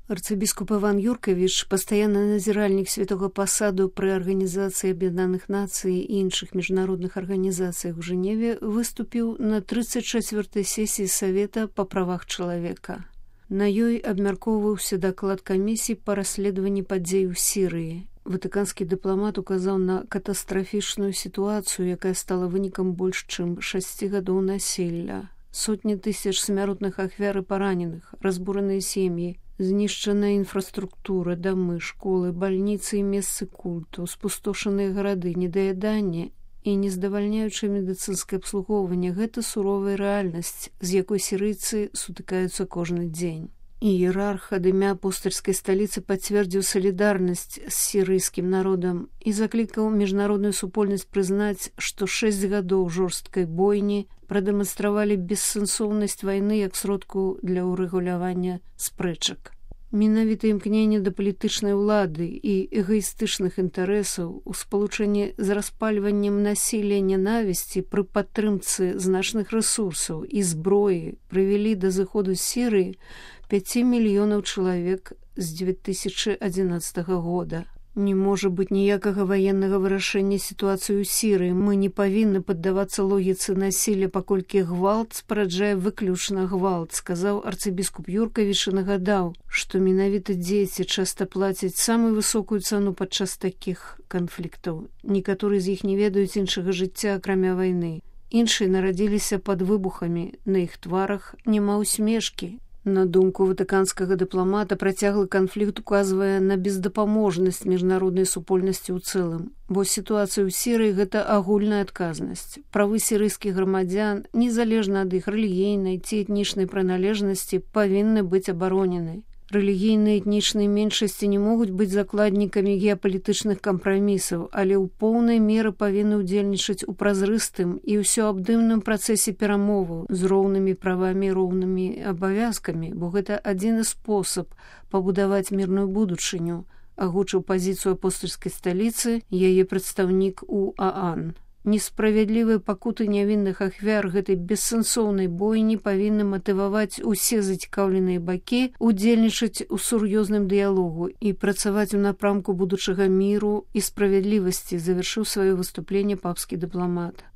Арцыбіскуп Іван Юркавіч, пастаянны назіральнік святого пасаду пры Арганізацыі Аб'яднаных Нацый і іншых міжнародных арганізацыях у Жэневе, выступіў на 34-й сесіі Савета па правах чалавека. На ёй абмяркоўваўся даклад камісіі па расследаванні падзей у Сірыі. Ватыканскі дыпламат указаў на катастрафічную сітуацыю, якая стала вынікам больш чым 6 гадоў насілля. Сотні тысяч смяротных ахвяр і параненых, разбураныя сем'і, знішчаная інфраструктура, дамы, школы, бальніцы і месцы культу, спустошаныя гарады, недаяданне і нездавальняючае медыцынскае абслугоўванне – гэта суровая рэальнасць, з якой сірыйцы сутыкаюцца кожны дзень. Іерарх ад імя апостальскай сталіцы пацвердзіў салідарнасць з сірыйскім народам і заклікаў міжнародную супольнасць прызнаць, што 6 гадоў жорсткай бойні прадэманстравалі бессэнсоўнасць вайны як сродку для ўрэгулявання спрэчак. Менавіта імкненне да палітычнай улады і эгаістычных інтарэсаў у спалучэнні з распальваннем насілля нянавісці пры падтрымцы значных рэсурсаў і зброі прывялі да зыходу Сірыі 5 мільёнаў чалавек з 2011 года. Не можа быць ніякага ваеннага вырашэння сітуацыі ў Сірыі. Мы не павінны паддавацца логіцы насілля, паколькі гвалт спараджае выключна гвалт, сказаў арцыбіскуп Юркавіч і нагадаў, што менавіта дзеці часта плацяць самую высокую цану падчас такіх канфліктаў. Некаторыя з іх не ведаюць іншага жыцця, акрамя вайны. Іншыя нарадзіліся пад выбухамі, на іх тварах няма усмешкі. На думку ватыканскага дыпламата, працяглы канфлікт указвае на бездапаможнасць міжнароднай супольнасці ў цэлым, бо сітуацыя ў Сірыі – гэта агульная адказнасць. Правы сірыйскіх грамадзян, незалежна ад іх рэлігійнай ці этнічнай прыналежнасці, павінны быць абаронены. Рэлігійныя этнічныя меншасці не могуць быць закладнікамі геапалітычных кампрамісаў, але ў поўнай меры павінны ўдзельнічаць у празрыстым і ўсёабдымным працэсе перамоваў з роўнымі правамі і роўнымі абавязкамі, бо гэта адзіны спосаб пабудаваць мірную будучыню, агучыў пазіцыю апостальскай сталіцы яе прадстаўнік у ААН. Несправядлівыя пакуты нявінных ахвяр гэтай бессэнсоўнай бойні павінны матываваць усе зацікаўленыя бакі удзельнічаць у сур'ёзным дыялогу і працаваць у напрамку будучага міру і справядлівасці, завяршыў сваё выступленне папскі дыпламат.